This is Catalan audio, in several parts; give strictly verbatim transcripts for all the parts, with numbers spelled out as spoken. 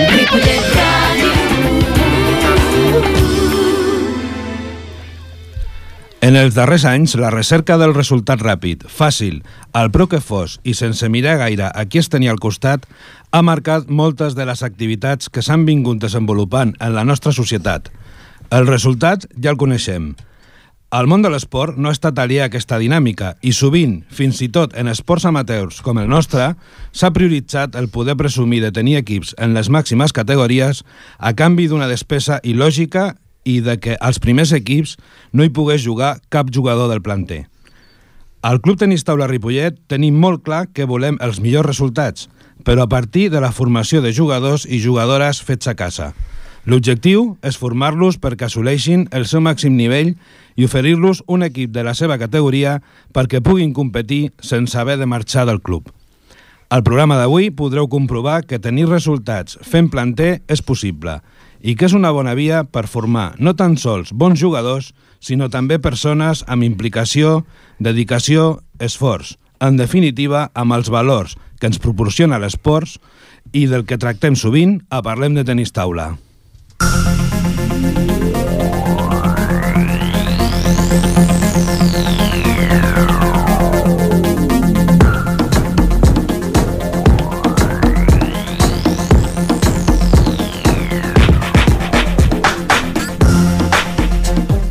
Ripollet Ràdio. En els darrers anys, la recerca del resultat ràpid, fàcil, al preu que fos i sense mirar gaire a qui es tenia al costat, ha marcat moltes de les activitats que s'han vingut desenvolupant en la nostra societat. El resultat ja el coneixem. El món de l'esport no ha estat aliè a aquesta dinàmica i sovint, fins i tot en esports amateurs com el nostre, s'ha prioritzat el poder presumir de tenir equips en les màximes categories a canvi d'una despesa il·lògica i de que als primers equips no hi pogués jugar cap jugador del planter. Al Club Tenis Taula Ripollet tenim molt clar que volem els millors resultats, però a partir de la formació de jugadors i jugadores fets a casa. L'objectiu és formar-los perquè assoleixin el seu màxim nivell i oferir-los un equip de la seva categoria perquè puguin competir sense haver de marxar del club. Al programa d'avui podreu comprovar que tenir resultats fent planter és possible i que és una bona via per formar no tan sols bons jugadors, sinó també persones amb implicació, dedicació, esforç, en definitiva amb els valors que ens proporciona l'esport i del que tractem sovint a Parlem de Tenis Taula.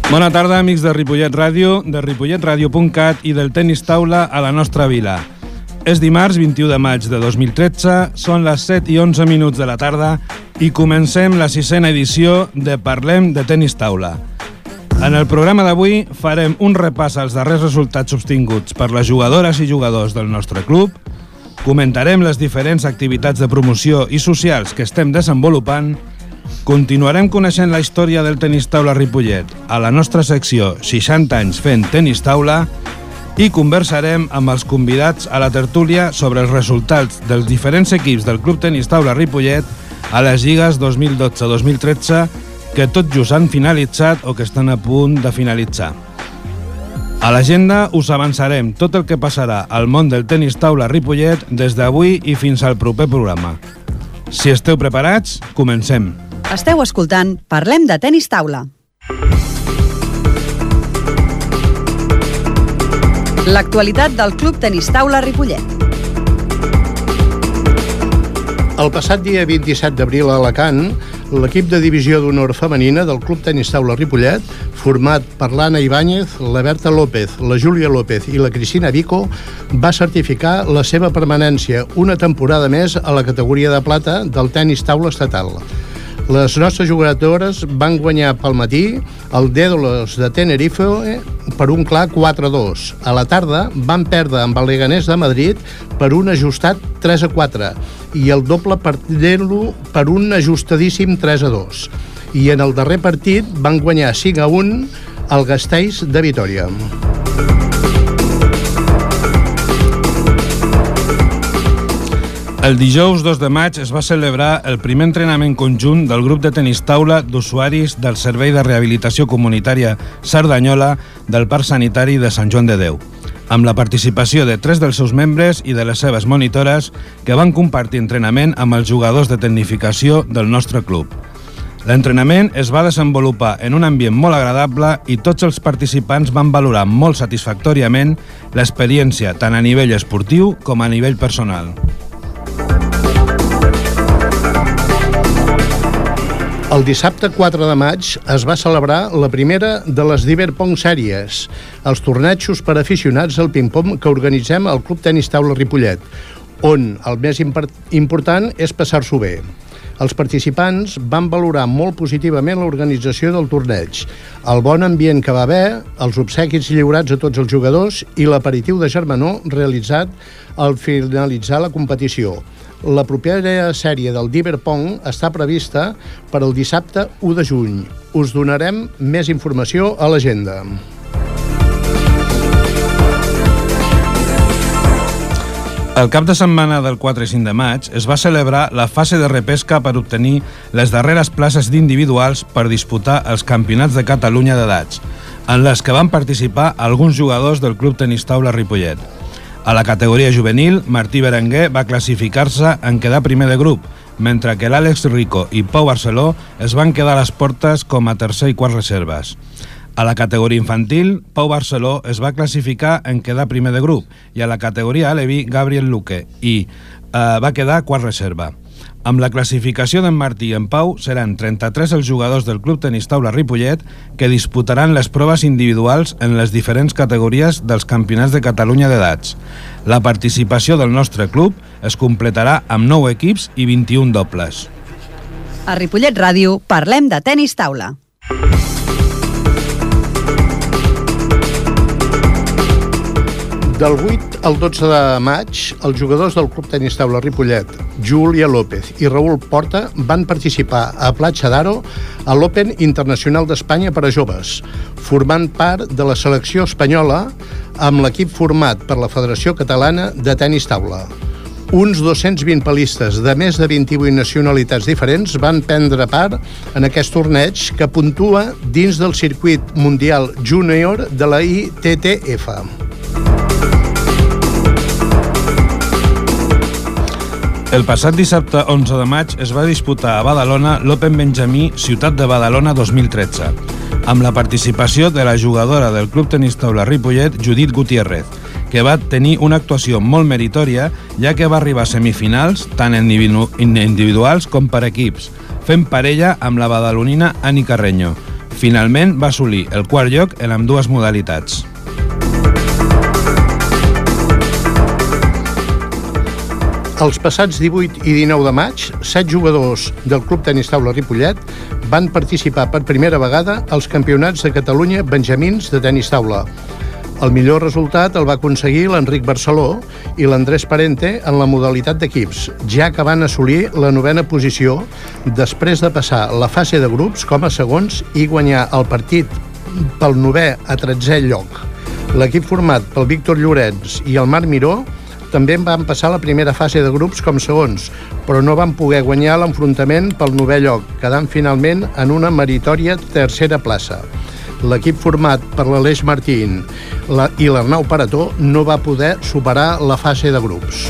Bona tarda, amics de Ripollet Ràdio, de ripollet ràdio punt cat i del Tenis Taula a la nostra vila. És dimarts vint-i-u de maig de dos mil tretze, són les set i onze minuts de la tarda i comencem la sisena edició de Parlem de Tenis Taula. En el programa d'avui farem un repàs als darrers resultats obtinguts per les jugadores i jugadors del nostre club, comentarem les diferents activitats de promoció i socials que estem desenvolupant, continuarem coneixent la història del Tenis Taula Ripollet a la nostra secció seixanta anys fent tenis taula i conversarem amb els convidats a la tertúlia sobre els resultats dels diferents equips del Club Tenis Taula Ripollet a les lligues dos mil dotze dos mil tretze que tot just han finalitzat o que estan a punt de finalitzar. A l'agenda us avançarem tot el que passarà al món del tenis taula Ripollet des d'avui i fins al proper programa. Si esteu preparats, comencem. Esteu escoltant Parlem de Tenis Taula. L'actualitat del Club Tenis Taula Ripollet. El passat dia vint-i-set d'abril a Alacant, l'equip de divisió d'honor femenina del Club Tenis Taula Ripollet, format per l'Anna Ibáñez, la Berta López, la Júlia López i la Cristina Vico, va certificar la seva permanència una temporada més a la categoria de plata del tenis taula estatal. Les nostres jugadores van guanyar pel matí el Dédolos de Tenerife per un clar quatre a dos. A la tarda van perdre amb el Leganés de Madrid per un ajustat tres a quatre i el doble perdent-lo per un ajustadíssim tres a dos. I en el darrer partit van guanyar cinc a un al Gasteiz de Vitòria. El dijous dos de maig es va celebrar el primer entrenament conjunt del grup de tenis taula d'usuaris del Servei de Rehabilitació Comunitària Cerdanyola del Parc Sanitari de Sant Joan de Déu, amb la participació de tres dels seus membres i de les seves monitores que van compartir entrenament amb els jugadors de tecnificació del nostre club. L'entrenament es va desenvolupar en un ambient molt agradable i tots els participants van valorar molt satisfactòriament l'experiència tant a nivell esportiu com a nivell personal. El dissabte quatre de maig es va celebrar la primera de les Diverpong Sèries, els tornejos per aficionats al ping-pong que organitzem al Club Tenis Taula Ripollet, on el més important és passar-s'ho bé. Els participants van valorar molt positivament l'organització del torneig, el bon ambient que va haver, els obsequis lliurats a tots els jugadors i l'aperitiu de germanor realitzat al finalitzar la competició. La propera sèrie del Diverpong està prevista per al dissabte u de juny. Us donarem més informació a l'agenda. El cap de setmana del quatre i cinc de maig es va celebrar la fase de repesca per obtenir les darreres places d'individuals per disputar els campionats de Catalunya d'edats, en les que van participar alguns jugadors del Club Tenis Taula Ripollet. A la categoria juvenil, Martí Berenguer va classificar-se en quedar primer de grup, mentre que l'Àlex Rico i Pau Barceló es van quedar a les portes com a tercer i quart reserves. A la categoria infantil, Pau Barceló es va classificar en quedar primer de grup i a la categoria Alevi, Gabriel Luque i eh, va quedar quart reserva. Amb la classificació d'en Martí i en Pau, seran trenta-tres els jugadors del Club Tenis Taula Ripollet que disputaran les proves individuals en les diferents categories dels campionats de Catalunya d'edats. La participació del nostre club es completarà amb nou equips i vint-i-un dobles. A Ripollet Ràdio parlem de tenis taula. Del vuit al dotze de maig, els jugadors del Club Tenis Taula Ripollet, Júlia López i Raül Porta, van participar a Platja d'Aro a l'Open Internacional d'Espanya per a joves, formant part de la selecció espanyola amb l'equip format per la Federació Catalana de Tenis Taula. Uns dos-cents vint palistes de més de vint-i-vuit nacionalitats diferents van prendre part en aquest torneig que puntua dins del circuit mundial júnior de la I T T F. El passat dissabte onze de maig es va disputar a Badalona l'Open Benjamí Ciutat de Badalona dos mil tretze, amb la participació de la jugadora del Club Tenis Taula Ripollet, Judit Gutiérrez, que va tenir una actuació molt meritòria, ja que va arribar a semifinals tant en individuals com per equips, fent parella amb la badalonina Ani Carreño. Finalment va assolir el quart lloc en ambdues modalitats. Els passats divuit i dinou de maig, set jugadors del Club Tenis Taula Ripollet van participar per primera vegada als Campionats de Catalunya Benjamins de Tenis Taula. El millor resultat el va aconseguir l'Enric Barceló i l'Andrés Parente en la modalitat d'equips, ja que van assolir la novena posició després de passar la fase de grups com a segons i guanyar el partit pel novè a tretzè lloc. L'equip format pel Víctor Llorenç i el Marc Miró també van passar la primera fase de grups com segons, però no van poder guanyar l'enfrontament pel novè lloc, quedant finalment en una meritòria tercera plaça. L'equip format per l'Aleix Martín i l'Arnau Parató no va poder superar la fase de grups.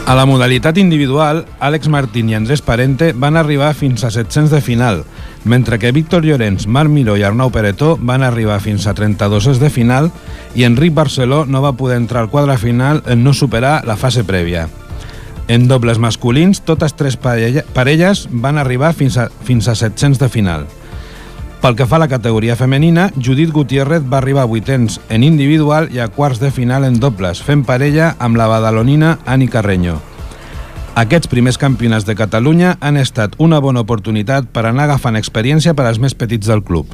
A la modalitat individual, Àlex Martín i Andrés Parente van arribar fins a set-cents de final, mentre que Víctor Llorenç, Marc Miró i Arnau Parató van arribar fins a trenta-dos de final i Enric Barceló no va poder entrar al quadre final en no superar la fase prèvia. En dobles masculins, totes tres parelles van arribar fins a, fins a set-cents de final. Pel que fa a la categoria femenina, Judit Gutiérrez va arribar a vuitens en individual i a quarts de final en dobles, fent parella amb la badalonina Ani Carreño. Aquests primers campionats de Catalunya han estat una bona oportunitat per anar agafant experiència per als més petits del club.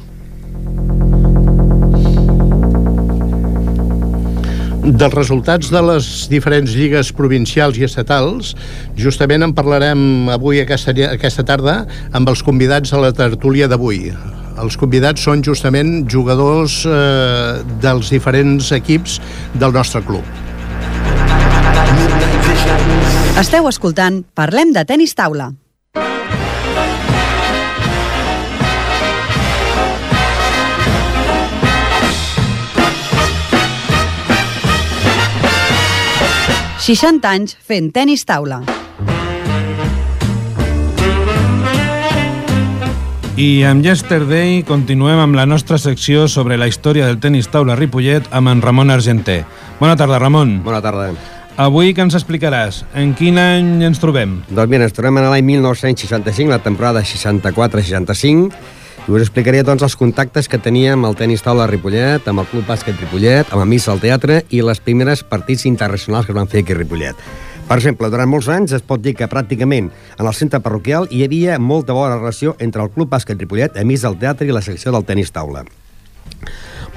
Dels resultats de les diferents lligues provincials i estatals, justament en parlarem avui aquesta, aquesta tarda amb els convidats a la tertúlia d'avui. Els convidats són justament jugadors eh, dels diferents equips del nostre club. Esteu escoltant Parlem de Tenis Taula. seixanta anys fent tenis taula. I amb Yesterday continuem amb la nostra secció sobre la història del tenis taula Ripollet amb en Ramon Argenter. Bona tarda, Ramon. Bona tarda. Avui què ens explicaràs? En quin any ens trobem? Doncs mira, ens trobem en l'any mil nou-cents seixanta-cinc, la temporada seixanta-quatre seixanta-cinc, i us explicaré doncs els contactes que teníem amb el tenis taula Ripollet, amb el Club Bàsquet Ripollet, amb Amics al Teatre i les primeres partits internacionals que es van fer aquí a Ripollet. Per exemple, durant molts anys es pot dir que pràcticament en el centre parroquial hi havia molta bona relació entre el Club Bàsquet Ripollet, Amics del Teatre i la secció del tenis taula.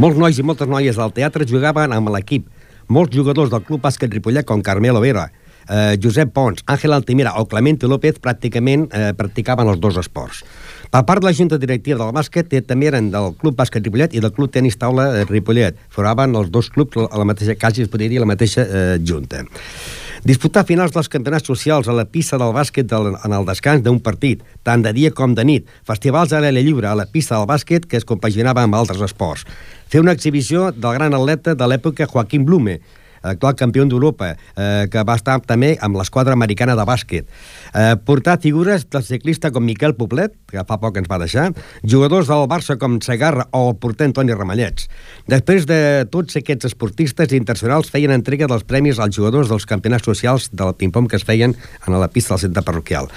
Molts nois i moltes noies del teatre jugaven amb l'equip. Molts jugadors del Club Bàsquet Ripollet, com Carmelo Vera, eh, Josep Pons, Àngel Altimira o Clemente López, pràcticament eh, practicaven els dos esports. Per part de la Junta Directiva del bàsquet, també eren del Club Bàsquet Ripollet i del Club Tenis Taula Ripollet. Formaven els dos clubs a la mateixa casa, es podria dir, la mateixa eh, junta. Disputar finals dels campionats socials a la pista del bàsquet del, en el descans d'un partit, tant de dia com de nit, festivals a l'aire lliure a la pista del bàsquet que es compaginava amb altres esports. Fer una exhibició del gran atleta de l'època Joaquim Blume, actual campió d'Europa, eh, que va estar també amb l'esquadra americana de bàsquet. Eh, portar figures del ciclista com Miquel Poblet, que fa poc ens va deixar, jugadors del Barça com Segarra o el porter Antoni Ramallets. Després de tots aquests esportistes internacionals feien entrega dels premis als jugadors dels campionats socials del ping-pong que es feien a la pista del centre parroquial.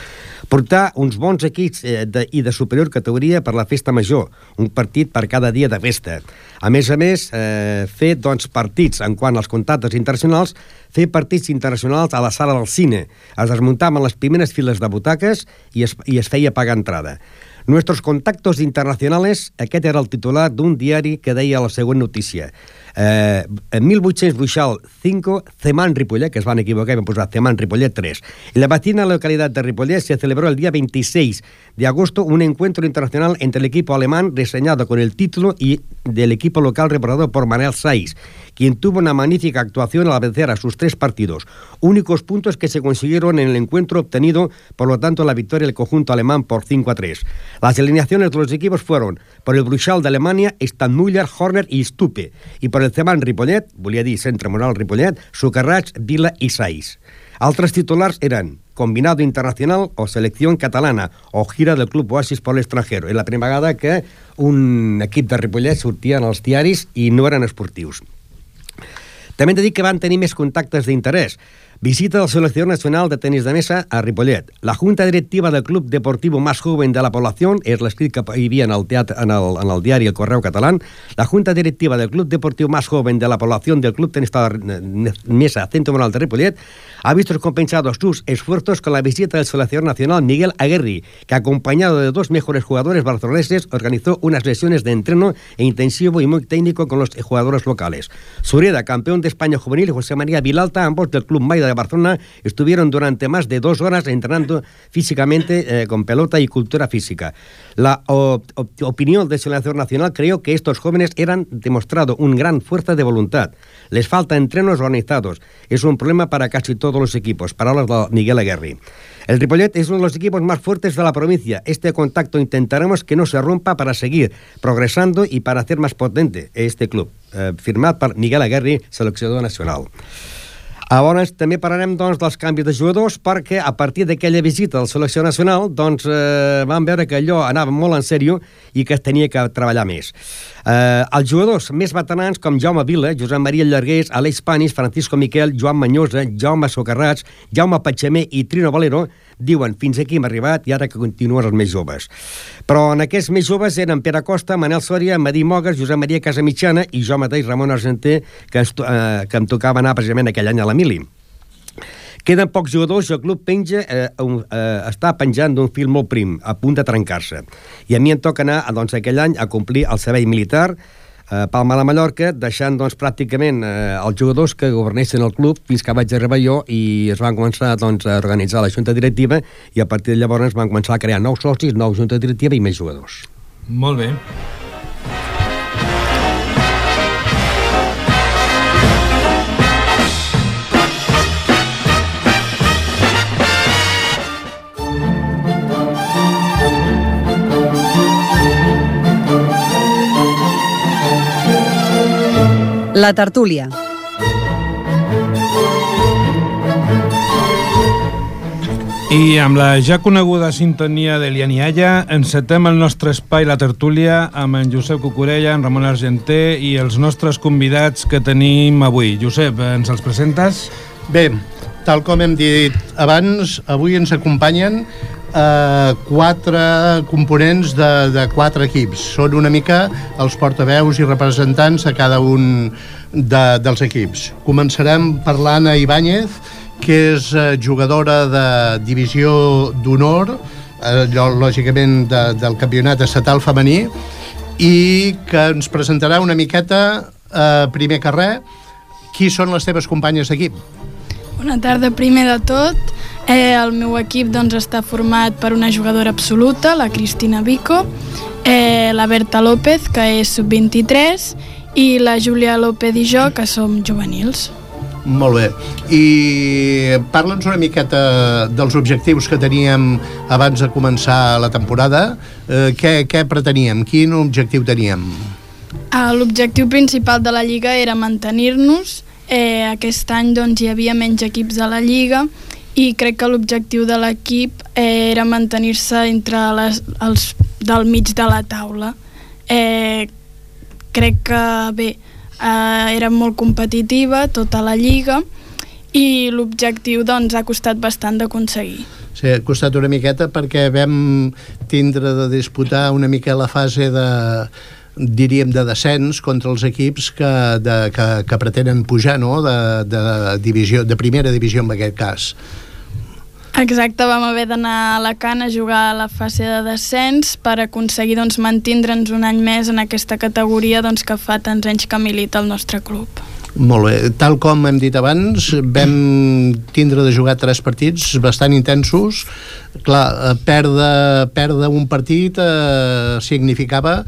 Portar uns bons equips eh, de, i de superior categoria per la festa major, un partit per cada dia de festa. A més a més, eh, fer doncs, partits en quant als contactes internacionals, fer partits internacionals a la sala del cine. Es desmuntaven les primeres files de butaques i es, i es feia pagar entrada. Nuestros contactos internacionales, aquest era el titular d'un diari que deia la següent notícia. Eh, en mil vuit-cents Bruixal cinco, Ceman Ripollet, que es van equivocar i van posar Ceman Ripollet tres. En la vecina localidad de Ripollet se celebró el día veintiséis de agosto un encuentro internacional entre el equipo alemán reseñado con el título y del equipo local representado por Manuel Saiz, quien tuvo una magnífica actuación al vencer a sus tres partidos, únicos puntos que se consiguieron en el encuentro, obtenido por lo tanto la victoria del conjunto alemán por cinco a tres. Las alineaciones de los equipos fueron por el Bruixal de Alemania, Stadtmüller, Horner y Stupe, y por el Ceman Ripollet, volia dir Centre Moral Ripollet, Socarrats, Vila i Saiz. Altres titulars eren Combinado Internacional o Selección Catalana o Gira del Club Oasis por l'extranjero. És la primera vegada que un equip de Ripollet sortia en els diaris i no eren esportius. També hem de dir que van tenir més contactes d'interès. Visita del Selección Nacional de Tenis de Mesa a Ripollet. La Junta Directiva del Club Deportivo más joven de la población, és l'escrit que hi havia en el, teatre, en, el, en el diari El Correu Catalán, la Junta Directiva del Club Deportivo más joven de la población del Club Tenis de Mesa Centro Moral de Ripollet ha visto compensados sus esfuerzos con la visita del Selección Nacional Miguel Aguerri, que acompañado de dos mejores jugadores barceloneses organizó unas sesiones de entreno e intensivo y muy técnico con los jugadores locales. Sureda, campeón de España juvenil, y José María Vilalta, ambos del Club Maida de Barcelona, estuvieron durante más de dos horas entrenando físicamente eh, con pelota y cultura física. La o, o, opinión del seleccionador nacional creo que estos jóvenes eran demostrado una gran fuerza de voluntad. Les falta entrenos organizados. Es un problema para casi todos los equipos. Palabras de Miguel Aguerri. El Ripollet es uno de los equipos más fuertes de la provincia. Este contacto intentaremos que no se rompa para seguir progresando y para hacer más potente este club. Eh, firmat per Miguel Aguerri, seleccionador nacional. Llavors, també parlarem doncs, dels canvis de jugadors, perquè a partir d'aquella visita del selecció nacional doncs, eh, vam veure que allò anava molt en sèrio i que es tenia que treballar més. Eh, els jugadors més veterans com Jaume Vila, Josep Maria Llargués, Aleix Panis, Francisco Miquel, Joan Manyosa, Jaume Socarrats, Jaume Patxamer i Trino Valero diuen fins aquí hem arribat i ara que continuen els més joves. Però en aquests més joves eren Pere Costa, Manel Sòria, Madí Mogues, Josep Maria Casamitjana i jo mateix, Ramon Argenter, que, es, eh, que em tocava anar precisament aquell any a la Mili. Queden pocs jugadors i el club penja, eh, eh, està penjant d'un fil molt prim, a punt de trencar-se. I a mi em toca anar doncs, aquell any a complir el servei militar a Palma de Mallorca, deixant doncs, pràcticament eh, els jugadors que governessin el club fins que vaig arribar jo i es van començar doncs, a organitzar la junta directiva i a partir de llavors van començar a crear nous socis, nou junta directiva i més jugadors. Molt bé. La tertúlia. I amb la ja coneguda sintonia de Lianialla encetem el nostre espai La Tertúlia amb en Josep Cucurella, en Ramon Argenter i els nostres convidats que tenim avui. Josep, ens els presentes? Bé, tal com hem dit abans, avui ens acompanyen eh, quatre components de, de quatre equips. Són una mica els portaveus i representants de cada un de, dels equips. Començarem parlant a Ibáñez, que és eh, jugadora de divisió d'honor, eh, lògicament de, del campionat estatal femení, i que ens presentarà una miqueta, eh, primer que res, qui són les teves companyes d'equip? Bona tarda. Primer de tot, eh, el meu equip doncs, està format per una jugadora absoluta, la Cristina Vico, eh, la Berta López, que és sub vint-i-tres, i la Júlia López i jo, que som juvenils. Molt bé. I parla'ns una miqueta dels objectius que teníem abans de començar la temporada. Eh, què, què preteníem? Quin objectiu teníem? L'objectiu principal de la Lliga era mantenir-nos eh, aquest any doncs, hi havia menys equips a la Lliga i crec que l'objectiu de l'equip eh, era mantenir-se entre les, els del mig de la taula. Eh, crec que bé, eh, era molt competitiva tota la Lliga i l'objectiu doncs, ha costat bastant d'aconseguir. Sí, ha costat una miqueta perquè vam tindre de disputar una mica la fase de, diríem, de descens contra els equips que, de, que, que pretenen pujar, no?, de, de, divisió, de primera divisió en aquest cas. Exacte, vam haver d'anar a Alacant a jugar a la fase de descens per aconseguir doncs, mantindre'ns un any més en aquesta categoria doncs, que fa tants anys que milita el nostre club. Molt bé, tal com hem dit abans, vam tindre de jugar tres partits bastant intensos. Clar, perdre, perdre un partit eh, significava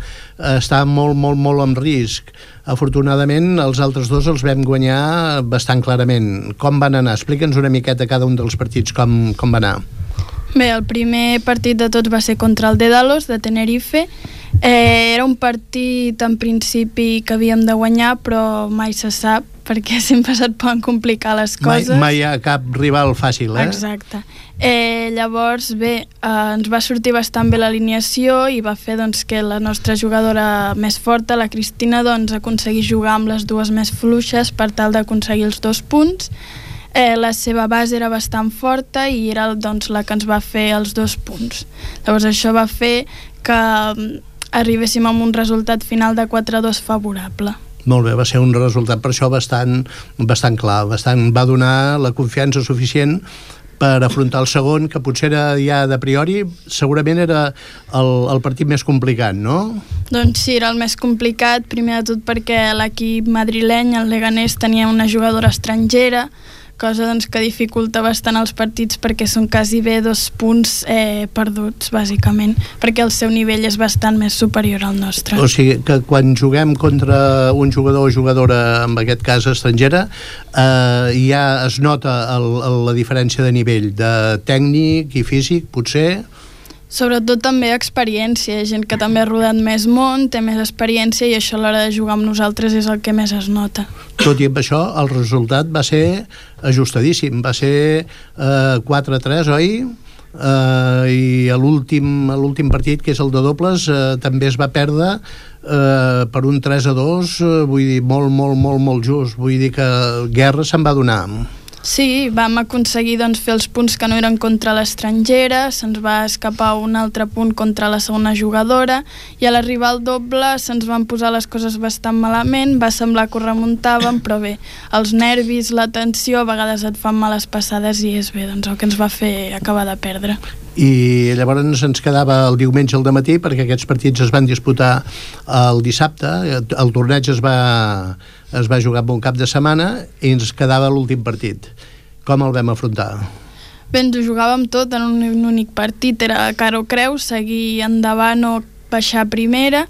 estar molt, molt, molt en risc. Afortunadament, els altres dos els vam guanyar bastant clarament. Com van anar? Explica'ns una miqueta cada un dels partits, com, com va anar. Bé, el primer partit de tots va ser contra el Dédalos, de Tenerife. Eh, era un partit en principi que havíem de guanyar, però mai se sap, perquè sempre se't poden complicar les coses. Mai, mai hi ha cap rival fàcil, eh? Exacte. Eh, llavors, bé, eh, ens va sortir bastant bé l'alineació i va fer doncs, que la nostra jugadora més forta, la Cristina, doncs, aconseguís jugar amb les dues més fluixes per tal d'aconseguir els dos punts. Eh, la seva base era bastant forta i era doncs, la que ens va fer els dos punts. Llavors això va fer que arribéssim amb un resultat final de quatre a dos favorable. Molt bé, va ser un resultat per això bastant, bastant clar, bastant, va donar la confiança suficient per afrontar el segon, que potser era ja de priori, segurament era el, el partit més complicat, no? Doncs sí, era el més complicat, primer de tot perquè l'equip madrileny, el Leganés, tenia una jugadora estrangera, cosa doncs, que dificulta bastant els partits perquè són quasi bé dos punts eh, perduts, bàsicament, perquè el seu nivell és bastant més superior al nostre. O sigui que quan juguem contra un jugador o jugadora, en aquest cas estrangera, eh, ja es nota el, el, la diferència de nivell, de tècnic i físic, potser? Sobretot també experiència, gent que també ha rodat més món, té més experiència i això a l'hora de jugar amb nosaltres és el que més es nota. Tot i amb això, el resultat va ser ajustadíssim, va ser eh, quatre a tres, oi? Eh, I a l'últim a l'últim partit, que és el de dobles, eh, també es va perdre eh, per un tres a dos, eh, vull dir, molt, molt, molt, molt just, vull dir que guerra se'n va donar. Sí, vam aconseguir doncs, fer els punts que no eren contra l'estrangera, se'ns va escapar un altre punt contra la segona jugadora i a l'arribar al doble se'ns van posar les coses bastant malament, va semblar que ho remuntàvem, però bé, els nervis, la tensió, a vegades et fan males passades i és bé, doncs el que ens va fer acabar de perdre. I llavors ens quedava el diumenge al dematí, perquè aquests partits es van disputar el dissabte, el torneig es va, es va jugar en un cap de setmana i ens quedava l'últim partit. Com el vam afrontar? Bé, ens ho jugàvem tot en un únic partit, era cara o creu, seguir endavant o baixar primera.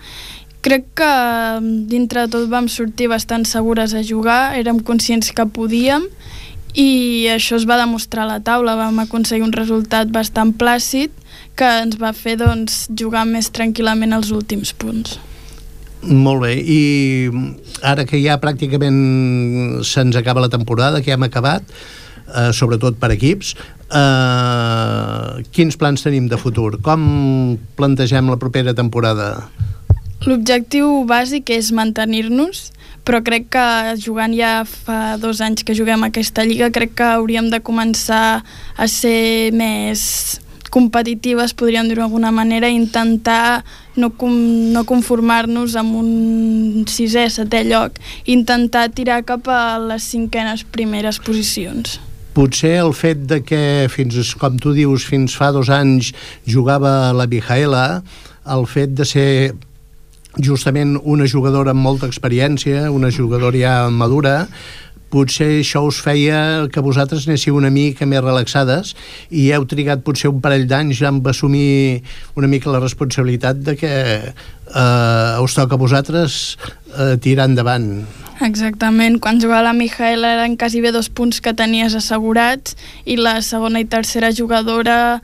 Crec que dintre de tot vam sortir bastant segures a jugar, érem conscients que podíem i això es va demostrar a la taula, vam aconseguir un resultat bastant plàcid que ens va fer doncs, jugar més tranquil·lament els últims punts. Molt bé, i ara que ja pràcticament se'ns acaba la temporada, que ja hem acabat, eh, sobretot per equips, eh, quins plans tenim de futur? Com plantegem la propera temporada? L'objectiu bàsic és mantenir-nos, però crec que jugant ja fa dos anys que juguem aquesta lliga, crec que hauríem de començar a ser més competitives, podríem dir-ho d'alguna manera, i intentar no, com, no conformar-nos amb un sisè, setè lloc, intentar tirar cap a les cinquenes primeres posicions. Potser el fet de que, fins com tu dius, fins fa dos anys jugava la Mijaela, el fet de ser justament una jugadora amb molta experiència, una jugadora ja madura, potser això us feia que vosaltres anéssiu una mica més relaxades i heu trigat potser un parell d'anys ja amb assumir una mica la responsabilitat de que eh, us toca a vosaltres eh, tirar endavant. Exactament, quan jugava la Mijaela eren quasi bé dos punts que tenies assegurats i la segona i tercera jugadora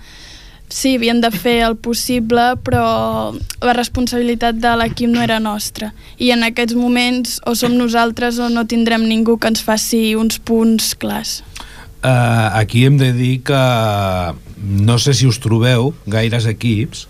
sí, havien de fer el possible, però la responsabilitat de l'equip no era nostra. I en aquests moments o som nosaltres o no tindrem ningú que ens faci uns punts clars. Uh, aquí hem de dir que no sé si us trobeu gaires equips,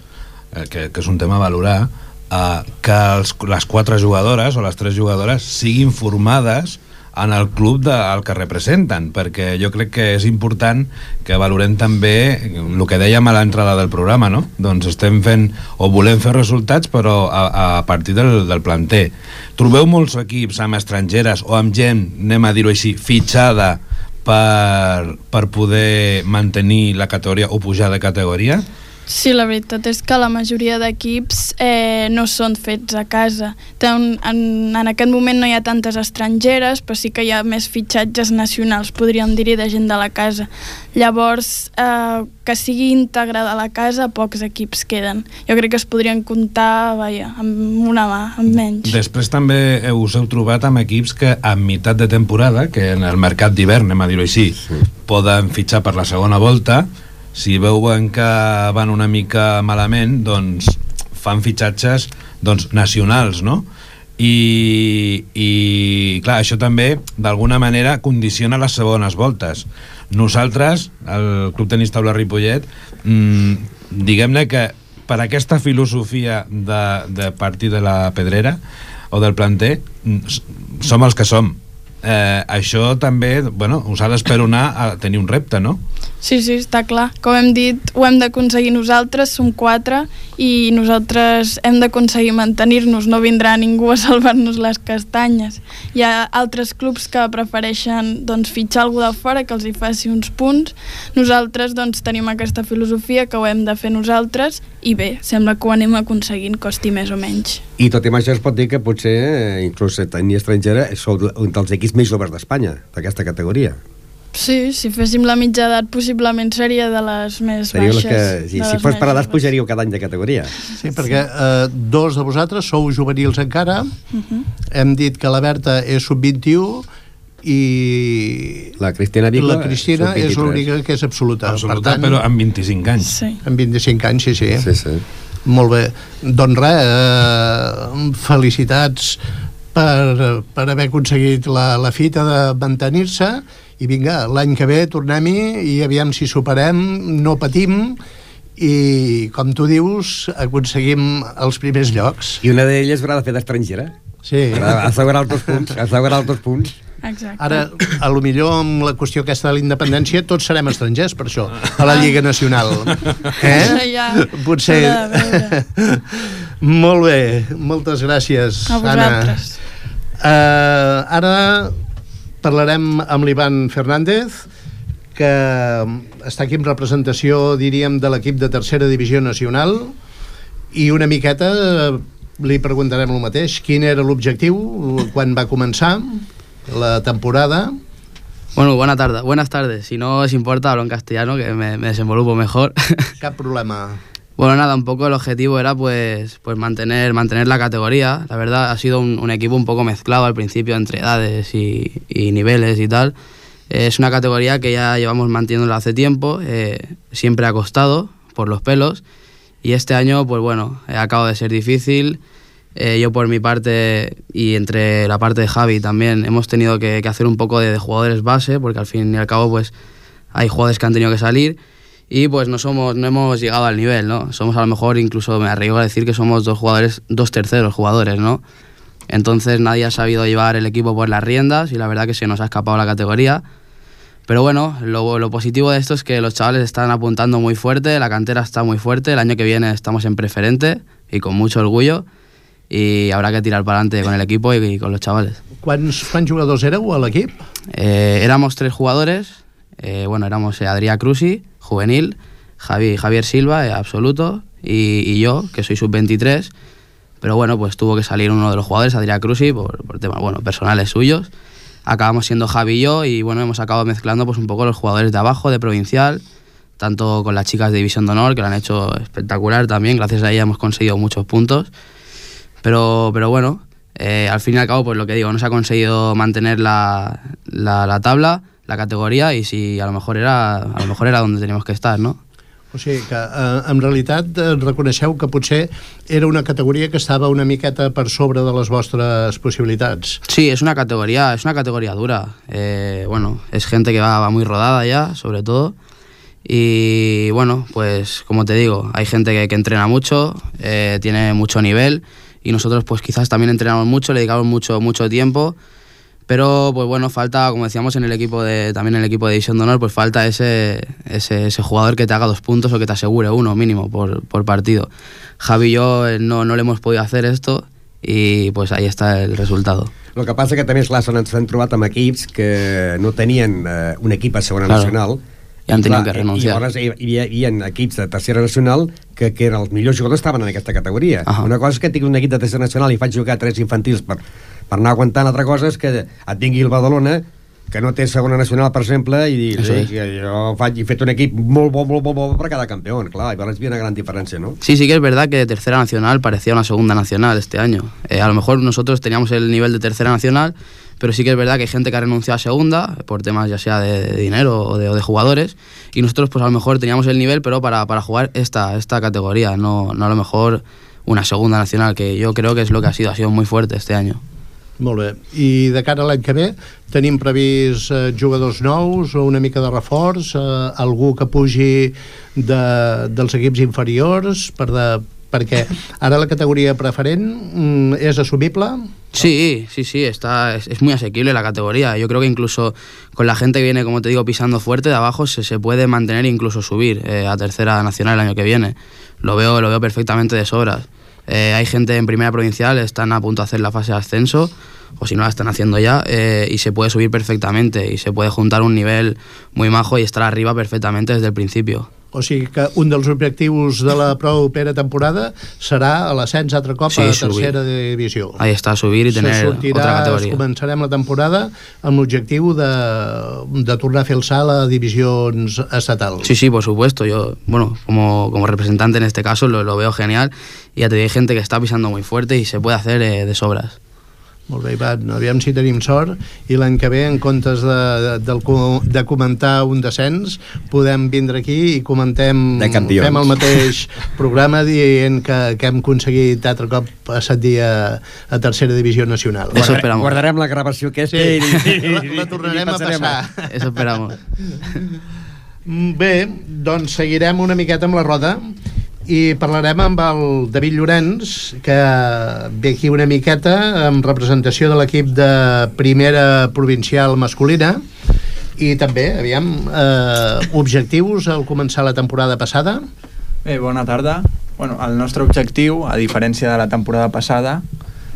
uh, que, que és un tema a valorar, uh, que els, les quatre jugadores o les tres jugadores siguin formades en el club del que representen, perquè jo crec que és important que valorem també el que dèiem a l'entrada del programa, no? Doncs estem fent o volem fer resultats, però a, a partir del, del planter. Trobeu molts equips amb estrangeres o amb gent, anem a dir-ho així, fitxada per, per poder mantenir la categoria o pujar de categoria? Sí, la veritat és que la majoria d'equips eh, no són fets a casa. En, en, en aquest moment no hi ha tantes estrangeres, però sí que hi ha més fitxatges nacionals, podríem dir-hi, de gent de la casa. Llavors, eh, que sigui integrada a la casa, pocs equips queden. Jo crec que es podrien comptar, vaja, amb una mà, amb menys. Després també us heu trobat amb equips que a meitat de temporada, que en el mercat d'hivern, anem a dir-ho així, sí, poden fitxar per la segona volta. Si veuen que van una mica malament, doncs fan fitxatges doncs, nacionals, no? I, i clar, això també d'alguna manera condiciona les segones voltes. Nosaltres, el Club Tenis Taula Ripollet, mmm, diguem-ne que per aquesta filosofia de, de partir de la pedrera o del planter, som els que som. Eh, això també, bueno, us ha d'esperonar a tenir un repte, no? Sí, sí, està clar. Com hem dit, ho hem d'aconseguir nosaltres, som quatre, i nosaltres hem d'aconseguir mantenir-nos, no vindrà ningú a salvar-nos les castanyes. Hi ha altres clubs que prefereixen doncs, fitxar algú de fora que els hi faci uns punts. Nosaltres doncs, tenim aquesta filosofia que ho hem de fer nosaltres, i bé, sembla que ho anem aconseguint, costi més o menys. I tot i amb això es pot dir que potser, inclús tenir estrangera, sou un dels equips més joves d'Espanya, d'aquesta categoria. Sí, si féssim la mitja edat possiblement seria de les més Seríeu baixes. Que, sí, si fos per edats pujaríeu cada any de categoria. Sí, perquè eh, dos de vosaltres sou juvenils encara, uh-huh. Hem dit que la Berta és sub vint-i-u i la Cristina, Vico, la Cristina és l'única que és absoluta. Absoluta, per tant, però amb vint-i-cinc anys. Sí. Amb vint-i-cinc anys, sí, sí. Sí, sí. Molt bé. Doncs res, eh, felicitats per, per haver aconseguit la, la fita de mantenir-se, i vinga, l'any que ve tornem-hi i aviam si superem, no patim i, com tu dius, aconseguim els primers llocs. I una d'elles haurà de fer d'estrangera. Sí. Assegurar els dos punts. Assegurar els dos punts. Exacte. Ara, a lo millor amb la qüestió aquesta de la independència tots serem estrangers per això, a la Lliga Nacional. Eh? Ja, potser. Molt bé, moltes gràcies, a vosaltres. Anna. Uh, ara parlarem amb l'Ivan Fernández, que està aquí en representació, diríem, de l'equip de tercera divisió nacional, i una miqueta li preguntarem el mateix. Quin era l'objectiu quan va començar la temporada? Bueno, buena tarde, buenas tardes. Si no os importa, hablo en castellano, que me, me desenvolupo mejor. Cap problema. Bueno, nada, un poco el objetivo era pues, pues mantener, mantener la categoría. La verdad ha sido un, un equipo un poco mezclado al principio entre edades y, y niveles y tal. Eh, es una categoría que ya llevamos manteniéndola hace tiempo, eh, siempre ha costado por los pelos, y este año pues bueno, eh, acaba de ser difícil. Eh, yo por mi parte y entre la parte de Javi también hemos tenido que, que hacer un poco de, de jugadores base, porque al fin y al cabo pues hay jugadores que han tenido que salir. Y pues no somos, no hemos llegado al nivel, ¿no? Somos a lo mejor, incluso me arriesgo a decir que somos dos jugadores, dos terceros jugadores, ¿no? Entonces nadie ha sabido llevar el equipo por las riendas y la verdad que se nos ha escapado la categoría. Pero bueno, lo, lo positivo de esto es que los chavales están apuntando muy fuerte, la cantera está muy fuerte, el año que viene estamos en preferente y con mucho orgullo, y habrá que tirar para adelante con el equipo y, y con los chavales. Quants, quants jugadors éreu a l'equip? Eh, éramos tres jugadores, eh, bueno, éramos eh, Adrià Crusi, juvenil, Javi, Javier Silva, eh, absoluto, y, y yo, que soy sub veintitrés, pero bueno, pues tuvo que salir uno de los jugadores, Adrià Crusi, por, por temas, bueno, personales suyos. Acabamos siendo Javi y yo, y bueno, hemos acabado mezclando pues un poco los jugadores de abajo, de provincial, tanto con las chicas de División de Honor, que lo han hecho espectacular también, gracias a ellas hemos conseguido muchos puntos, pero, pero bueno, eh, al fin y al cabo, pues lo que digo, no se ha conseguido mantener la, la, la tabla, la categoría, y si a lo mejor era a lo mejor era donde teníamos que estar, ¿no? O sigui que eh, en realitat eh, reconeixeu que potser era una categoria que estava una miqueta per sobre de les vostres possibilitats. Sí, es una categoría, es una categoría dura. Eh, bueno, es gente que va, va muy rodada ya, sobre todo. Y bueno, pues como te digo, hay gente que, que entrena mucho, eh, tiene mucho nivel, y nosotros pues quizás también entrenamos mucho, le dedicamos mucho, mucho tiempo, pero pues bueno, falta, como decíamos en el equipo de, también en el equipo de División de Honor, pues falta ese, ese, ese jugador que te haga dos puntos o que te asegure uno mínimo por, por partido. Javi y yo no, no le hemos podido hacer esto, y pues ahí está el resultado. El que passa que també, esclar, ens hem trobat amb equips que no tenien eh, un equip a segona claro. nacional, i han tingut que renunciar. I llavors hi, hi, hi havia equips de tercera nacional que, que eren els millors jugadors, estaven en aquesta categoria. Uh -huh. Una cosa és que tinc un equip de tercera nacional i faig jugar tres infantils per, per anar aguantant, altra cosa és que et tingui el Badalona, que no té segona nacional, per exemple, i dir, sí, sí. jo faig, he fet un equip molt bo, molt bo, molt bo per cada campeón, clar, i llavors hi havia una gran diferència, ¿no? Sí, sí que es verdad que de tercera nacional parecía una segunda nacional este año. Eh, a lo mejor nosotros teníamos el nivel de tercera nacional, pero sí que es verdad que hay gente que ha renunciado a segunda, por temas ya sea de, de dinero o de, o de jugadores, y nosotros pues a lo mejor teníamos el nivel, pero para, para jugar esta, esta categoría, no, no a lo mejor una segunda nacional, que yo creo que es lo que ha sido, ha sido muy fuerte este año. Molt bé. I de cara a l'any que ve, tenim previst eh, jugadors nous o una mica de reforç, eh, algú que pugi de, dels equips inferiors, per de, perquè ara la categoria preferent mm, és assumible? Sí, sí, sí, está, es, es muy asequible la categoría. Yo creo que incluso con la gente que viene, como te digo, pisando fuerte de abajo, se, se puede mantener e incluso subir eh, a tercera nacional el año que viene. Lo veo, lo veo perfectamente de sobras. Eh, hay gente en primera provincial, están a punto de hacer la fase de ascenso, o si no la están haciendo ya, eh, y se puede subir perfectamente, y se puede juntar un nivel muy majo y estar arriba perfectamente desde el principio. O sigui que un dels objectius de la propera temporada serà l'ascens altre cop sí, a tercera subir. divisió. Ahí està, subir i tenir sortirà, otra categoria. Començarem la temporada amb l'objectiu de, de tornar a fer el salt a divisions estatals. Sí, sí, por supuesto. Yo, bueno, como, como representante en este caso lo, lo veo genial, y ya te digo, hay gente que está pisando muy fuerte y se puede hacer eh, de sobras. Molt bé, Ivan, aviam si tenim sort i l'any que ve, en comptes de, de, de comentar un descens, podem vindre aquí i comentem, fem el mateix programa dient que, que hem aconseguit altre cop ascendir a, a tercera divisió nacional. Eso esperamos. Guardarem la gravació aquesta sí. i, i, la, la tornarem a passar. Eso esperamos. Bé, doncs seguirem una miqueta amb la roda i parlarem amb el David Llorenç, que ve aquí una miqueta en representació de l'equip de primera provincial masculina, i també, aviam, eh, objectius al començar la temporada passada. Bé, bona tarda. Bueno, el nostre objectiu, a diferència de la temporada passada,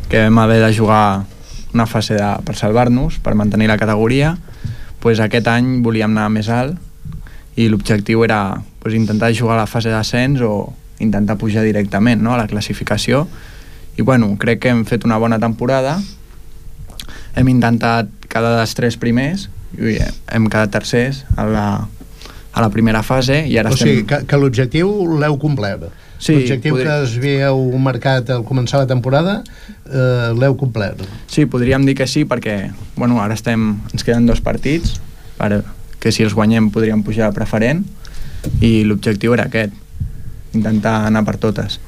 que vam haver de jugar una fase de, per salvar-nos, per mantenir la categoria, pues aquest any volíem anar més alt, i l'objectiu era pues, intentar jugar a la fase d'ascens o intentar pujar directament, no?, a la classificació. I bueno, crec que hem fet una bona temporada, hem intentat quedar dels tres primers i hem quedat tercers a la, a la primera fase i ara o estem... sigui, que, que l'objectiu l'heu complert. Sí, l'objectiu podria... que es havíeu marcat al començar la temporada eh, l'heu complert. Sí, podríem dir que sí, perquè bueno, ara estem, ens queden dos partits per, que si els guanyem podríem pujar a preferent, i l'objectiu era aquest, intentar anar per totes.